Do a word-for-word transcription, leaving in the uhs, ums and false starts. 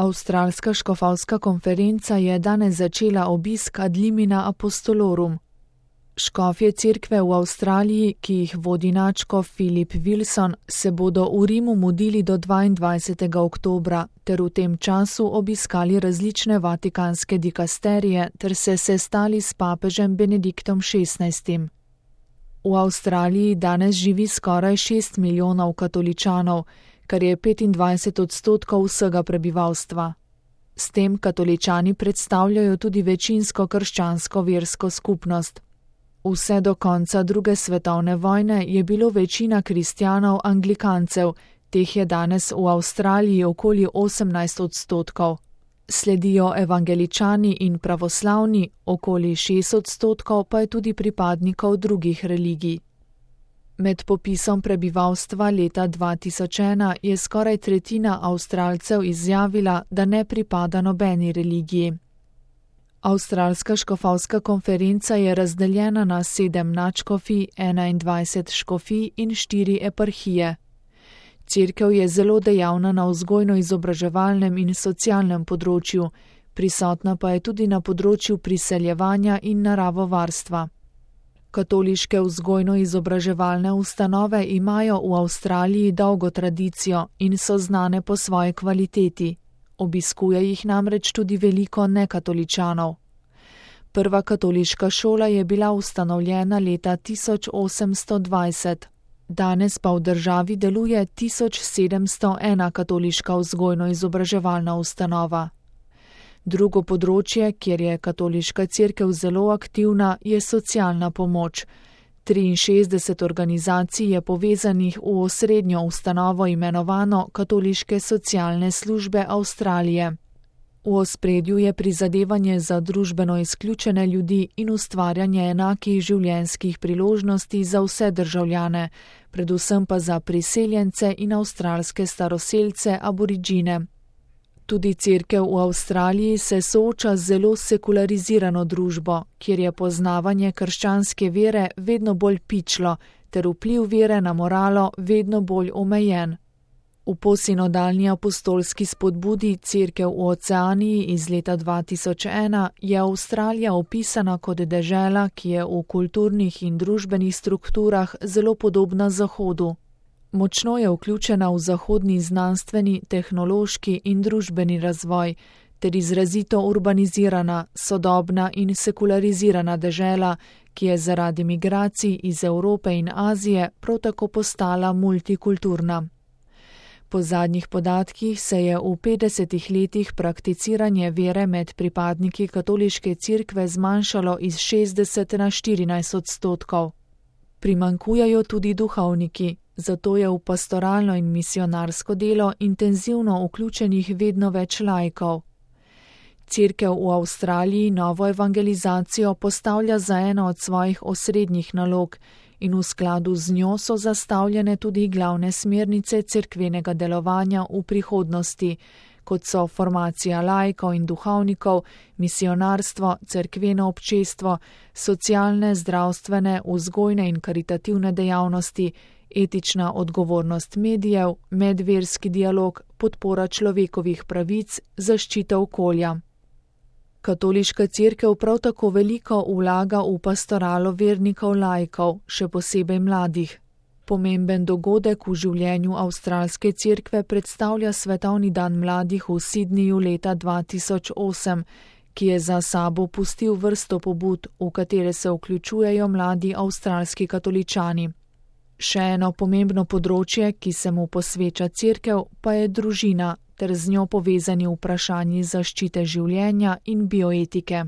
Avstralska škofovska konferenca je danes začela obisk ad limina apostolorum. Škofje cerkve v Avstraliji, ki jih vodi nadškof Philip Wilson, se bodo v Rimu mudili do dvaindvajsetega oktobra ter v tem času obiskali različne vatikanske dikasterije ter se sestali s papežem Benediktom šestnajstim. V Avstraliji danes živi skoraj šest milijonov katoličanov, kar je petindvajset odstotkov vsega prebivalstva. S tem katoličani predstavljajo tudi večinsko krščansko versko skupnost. Vse do konca druge svetovne vojne je bilo večina kristjanov anglikancev, teh je danes v Avstraliji okoli osemnajst odstotkov. Sledijo evangeličani in pravoslavni, okoli šest odstotkov pa je tudi pripadnikov drugih religij. Med popisom prebivalstva leta dva tisoč ena je skoraj tretjina Avstralcev izjavila, da ne pripada nobeni religiji. Avstralska škofovska konferenca je razdeljena na sedem nadškofij, enaindvajset škofij in štiri eparhije. Cerkev je zelo dejavna na vzgojno-izobraževalnem in socialnem področju, prisotna pa je tudi na področju priseljevanja in naravovarstva. Katoliške vzgojno-izobraževalne ustanove imajo v Avstraliji dolgo tradicijo in so znane po svoji kvaliteti. Obiskuje jih namreč tudi veliko nekatoličanov. Prva katoliška šola je bila ustanovljena leta tisoč osemsto dvajset. Danes pa v državi deluje tisoč sedemsto ena katoliška vzgojno-izobraževalna ustanova. Drugo področje, kjer je katoliška cerkev zelo aktivna, je socialna pomoč. triinšestdeset organizacij je povezanih v osrednjo ustanovo imenovano Katoliške socialne službe Avstralije. V ospredju je prizadevanje za družbeno izključene ljudi in ustvarjanje enakih življenjskih priložnosti za vse državljane, predvsem pa za priseljence in avstralske staroselce aboriđine. Tudi cerkev v Avstraliji se sooča z zelo sekularizirano družbo, kjer je poznavanje krščanske vere vedno bolj pičlo, ter vpliv vere na moralo vedno bolj omejen. V posinodalni apostolski spodbudi Cerkev v Oceaniji iz leta dva tisoč ena je Avstralija opisana kot dežela, ki je v kulturnih in družbenih strukturah zelo podobna Zahodu. Močno je vključena v zahodni znanstveni, tehnološki in družbeni razvoj, ter izrazito urbanizirana, sodobna in sekularizirana dežela, ki je zaradi migracij iz Evrope in Azije prav tako postala multikulturna. Po zadnjih podatkih se je v petdesetih letih prakticiranje vere med pripadniki katoliške cerkve zmanjšalo iz šestdeset na štirinajst odstotkov. Primanjkujejo tudi duhovniki, zato je v pastoralno in misionarsko delo intenzivno vključenih vedno več laikov. Cerkev v Avstraliji novo evangelizacijo postavlja za eno od svojih osrednjih nalog in v skladu z njo so zastavljene tudi glavne smernice cerkvenega delovanja v prihodnosti, kot so formacija laikov in duhovnikov, misionarstvo, cerkveno občestvo, socialne, zdravstvene, vzgojne in karitativne dejavnosti, etična odgovornost medijev, medverski dialog, podpora človekovih pravic, zaščita okolja. Katoliška cerkev prav tako veliko vlaga v pastoralo vernikov laikov, še posebej mladih. Pomemben dogodek v življenju avstralske cerkve predstavlja Svetovni dan mladih v Sydneyju leta dva tisoč osem, ki je za sabo pustil vrsto pobud, v katere se vključujejo mladi avstralski katoličani. Še eno pomembno področje, ki se mu posveča cerkev, pa je družina, ter z njo povezani vprašanji zaščite življenja in bioetike.